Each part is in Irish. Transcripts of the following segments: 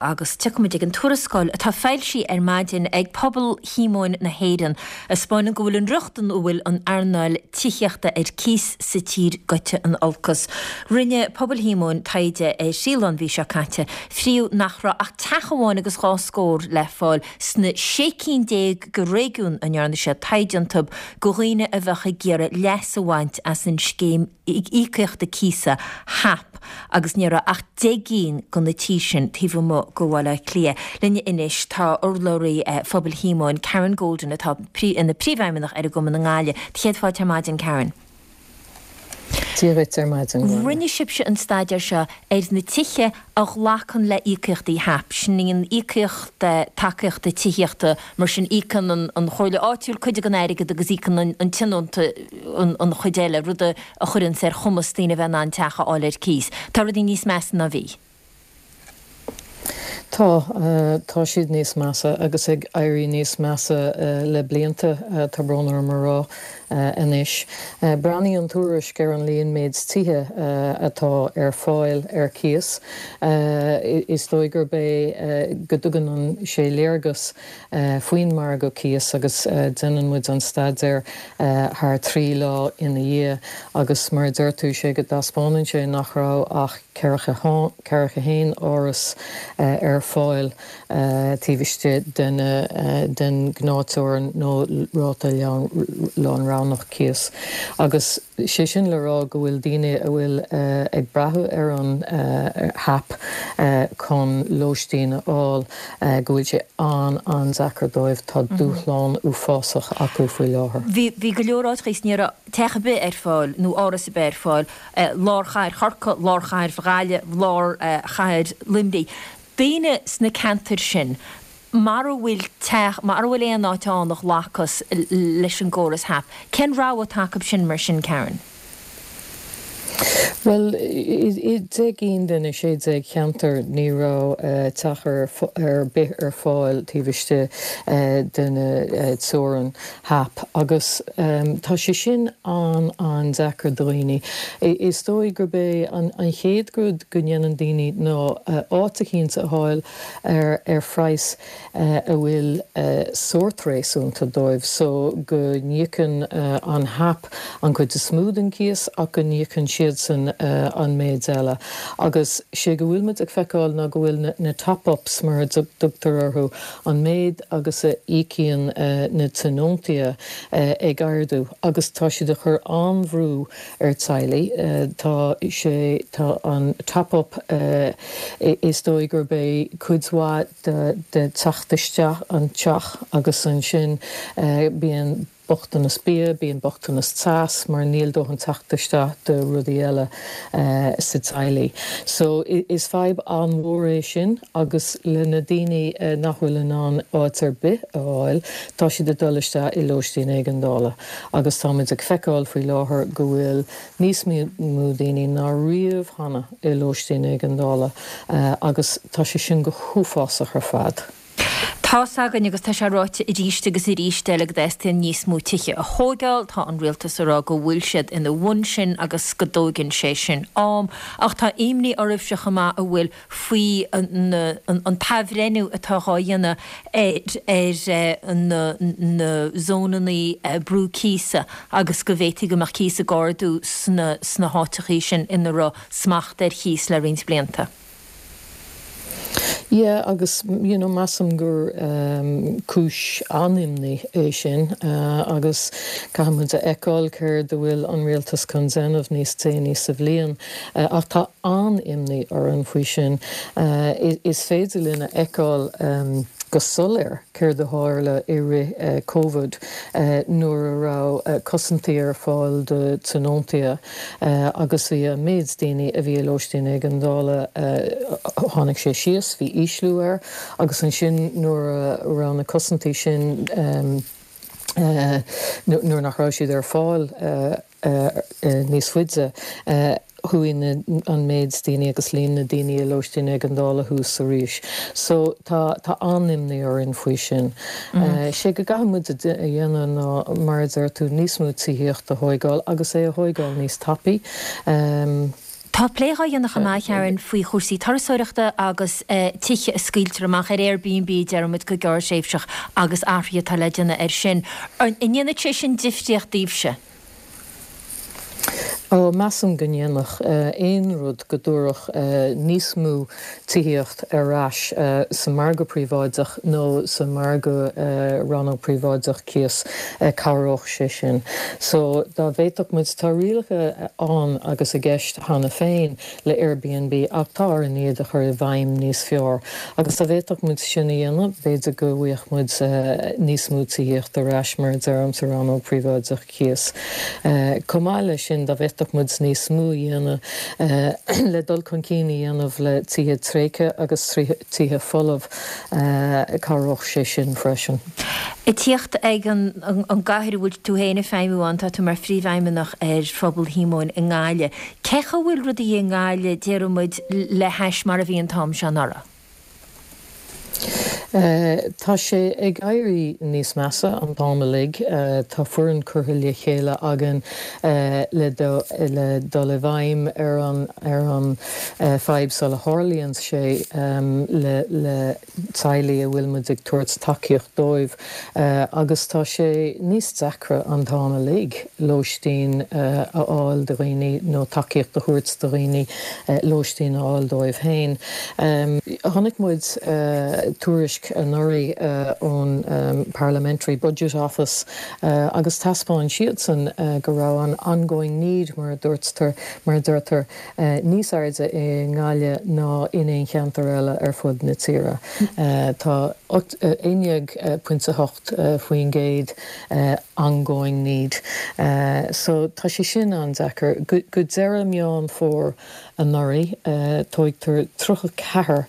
Agus tiocfaimid ag an tuarascáil atá foilsithe ar maidin ag Pobal Shíomóin na hÉireann, a 'spáineann go bhfuil an riocht ina bhfuil an earnáil tithíochta ar cíos sa tír goite in olcas. Rinne Pobal Shíomóin taighde ar thrí lá an mhí seo caite. Fríodh nach raibh ach teach amháin agus 2 scór le fáil sna 16 cinn de réigiún a ndearna siad taighde iontu do dhaoine a bheadh ag iarraidh leas a bhaint as an scéim íocaíochta cíosa, HAP, agus ní raibh ach 10 gcinn de na tithe sin taobh amuigh de Bhaile Átha Cliath. Linn anois tá urlabhraí Phobal Shíomóin, Karen Golden, atá ina príomhfheidhmeannach ar an gcumann i nGaillimh. Do chéad fáilte ar maidin, Karen. Dia dhuit ar maidin, Gráinne. Rinne sibhse an staidéar seo ar na tithe a ghlacann le íocaíochtaí HAP, sin í an íocaíocht tacaíochta tithíochta, mar sin íocann an chomhairle áitiúil cuid den airgead agus íocann an tionónta an chuid eile, rud a chuireanns ar chumas daoine a bheith in ann teach a fháil ar cíos. Tá rudaí níos measa ná bhí. Tá, tá siad níos measa agus ag éirí níos measa le blianta, tá brón orm a rá anois. Breathnaíonn an tuairisc ar an líon méid tithe atá ar fáil ar cíos. Is dóigh gurb é go dtugann sé léargas faoin margadh cíos agus déanann muid an staidéar thar 3 lá ina dhiaidh agus mar a deir tú, sé go dtaispeánann sé nach raibh ach 41 áras ar fáil taobh istigh den ghnáth-teorainn nó ráta lánroghnach cíos agus sé sin le rá go bhfuil daoine a bhfuil ag brath ar an HAP chun lóistín a fháil go bhfuil sé an-an-deacair dóibh. Tá dúshlán uafásach acu faoi láthair. Bhí go leor áiteacha is ní raibh teach ar bith ar fáil nó áras ar bith ar fáil, lár chathair Chorcaí, lár chathair Ghaillimh, lár chathair Luimnigh. Daoine sna ceantair sin, mara bhfuil teach, mara bhfuil aon áit ann a ghlacfas leis an gcóras HAP, cén rogha atá acu sin mar sin, Karen? Bhuel, i 10 gcinn de na 16 cheantar ní raibh teach ar bith ar fáil taobh istigh de na teorainn HAP agus tá sé sin an-an-deacair do dhaoine. Is dóigh gurb é an chéad rud go ndéanann daoine ná áit eicínt a fháil ar phraghas a bhfuil sórt réasúnta dóibh so go n-íocann an HAP an chuid is mó den cíos ach go n-íocann siadsan an méid eile. Agus sé go bhfuil muid ag feiceáil ná go bhfuil na top-ups mar a dtugtar orthu, an méid agus a íocann na tionóntaithe ag ardú agus tá siad ag cur an-bhrú ar teaghlaigh. Tá sé, tá an top-up, is dóigh gurb é cuid mhaith de de teacht isteach an teach agus ansin bíonn bochtanas bia, bíonn bochtanas teas mar níl dóthain teacht isteach do rudaí eile sa teaghlaigh. So is fadhb an-mhór é sin agus le na daoine nach bhfuil in ann áit ar bith a fháil, tá siad ag dul isteach i lóistín éigeandála agus táimid ag feiceáil faoi láthair go bhfuil níos mó daoine ná riamh cheana i lóistín éigeandála agus tá sé sin go huafásach ar fad. Tá's againn, agus tá sé ráite arís agus arís eile, go dteastaíonn níos mó tithe a thóigeáil. Tá an rialtas ag rá go bhfuil siad ina bhun sin agus go dtóigeann sé sin am. Ach tá imní oraibhse chomh maith an bhfuil faoi an t-athbhreithniú atá dhá dhéanamh ar na zónanna brú cíosa agus go bhféadfaí go mbeadh cíos ag ardú sna háiteachaí sin ina raibh smacht ar chíos le roinnt blianta. Yeah agus you know measaim gur cúis an-imní é sin agus caithfidh muid a fheiceáil céard a bhfuil an rialtas chun déanamh níos déanaí sa bhliain ach tá an-imní orainn faoi sin. Is féidir linn a fheiceáil go soiléir céard a tharla i rith Covid nuair a raibh cosaintí ar fáil do tionóntaithe. agus bhí an méid daoine a bhí i lóistín éigeandála, tháinig sé síos, bhí ísliú air agus ansin nuair a raibh na cosaintí sin, nuair nach raibh siad ar fáil níos faide, chuaigh an méid daoine agus líon na daoine i lóistín éigeandála thuas arís. So tá tá an-imní orainn faoi sin. Sé go gcaithfidh muid a dhéanamh ná, mar a deir tú, níos mó tithíocht a thóigeáil agus é a thóigeáil níos tapaí. Tá plé dhá dhéanamh chomh maith, a Karen, faoi chúrsaí turasóireachta agus tithe a scaoiltear amach ar Airbnb, a deir muid, go gearrthréimhseach agus athruithe atá le déanamh air sin. An ndéanfaidh sé sin difríocht daoibhse? Ó, measaim go ndéanfadh. Aon rud go dtabharfadh níos mó tithíocht ar ais sa margadh príobháideach nó sa margadh rannóg príobháideach cíos, cabhródh sé sin. So, dá bhféadfadh muid, tá rialacha ann agus i gceist cheana féin le Airbnb ach tá orainn iad a chur i bhfeidhm níos fearr. Agus dá bhféadfadh muid sin a dhéanamh, b'fhéidir go bhfaigheadh muid níos mó tithíocht ar ais, mar a deirim, sa rannóg príobháideach cíos. Chomh maith leis sin, dá bhféadfadh muid níos mó a dhéanamh le dul chun cinn a dhéanamh le tithe tréigthe agus tithe folamh, cabhródh sé sin freisin. Ag tíocht ag an gcathair a bhfuil tú féin ag feidhmiú ann, tá tú mar phríomhfheidhmeannach ar Phobal Shíomóin i nGaillimh. Cé chaoi a bhfuil rudaí i nGaillimh, déarfaidh muid, le hais mar a bhí an t-am seo anuraidh? Tá sé ag éirí níos measa an t-am uilig. Tá foireann curtha le chéile againn le dul i bhfeidhm ar an ar an fadhb sula tharlaíonn sé le le teaghlaigh a bhfuil muid ag tabhairt tacaíocht dóibh agus tá sé níos deacra an t-am uilig lóistín a fháil do dhaoine nó tacaíocht a thabhairt do dhaoine lóistín a fháil dóibh féin. Chonaic muid tuairisc anuraidh ón Parliamentary Budget Office agus thaispeáin siadsan go raibh an ongoing need, mar a dúirtear, mar a deirtear, níos airde i nGaillimh ná in aon cheantar eile ar fud na tíre. Tá 11.8% ongoing need. So tá sé sin an-deacair. Go deireadh Meán Fómhair anuraidh, tógtar 34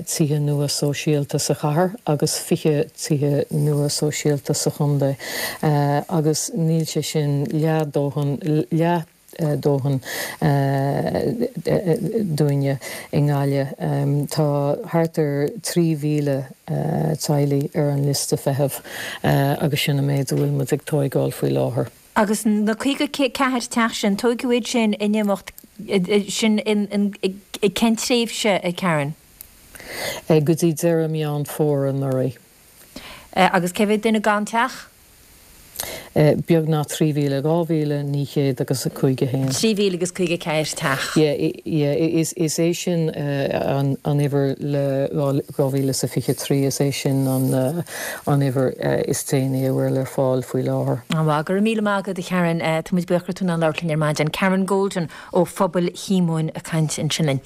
tithe nua sóisialta sa chathair agus 20 tithe nua sóisialta sa chontae agus níl sé sin leath dóthain, leath dóthain dúinne i nGaillimh. Tá thart ar 3,000 teaghlaigh ar an liosta feithimh agus sin an méid a bhfuil muid ag tóigeáil faoi láthair. Agus na 54 teach sin, tóigeadh iad sin in imeacht, sin in cén tréimhse, a Karen? Go dtí deireadh Meán Fómhair anuraidh. Agus cé mhéad duine gan teach? Beagnach 3,000, 2,900 agus 51. 3,000 agus 54 teach. Yeah, yeah, is é sin an uimhir le 2023, is é sin an uimhir is déanaí a bhfuil ar fáil faoi láthair. An-mhaith. Go raibh míle maith agat, a Karen. Tá muid buíoch go raibh tú in ann labhairt linn ar maidin. Karen Golden ó Phobal Shíomóin ag caint ansin linn.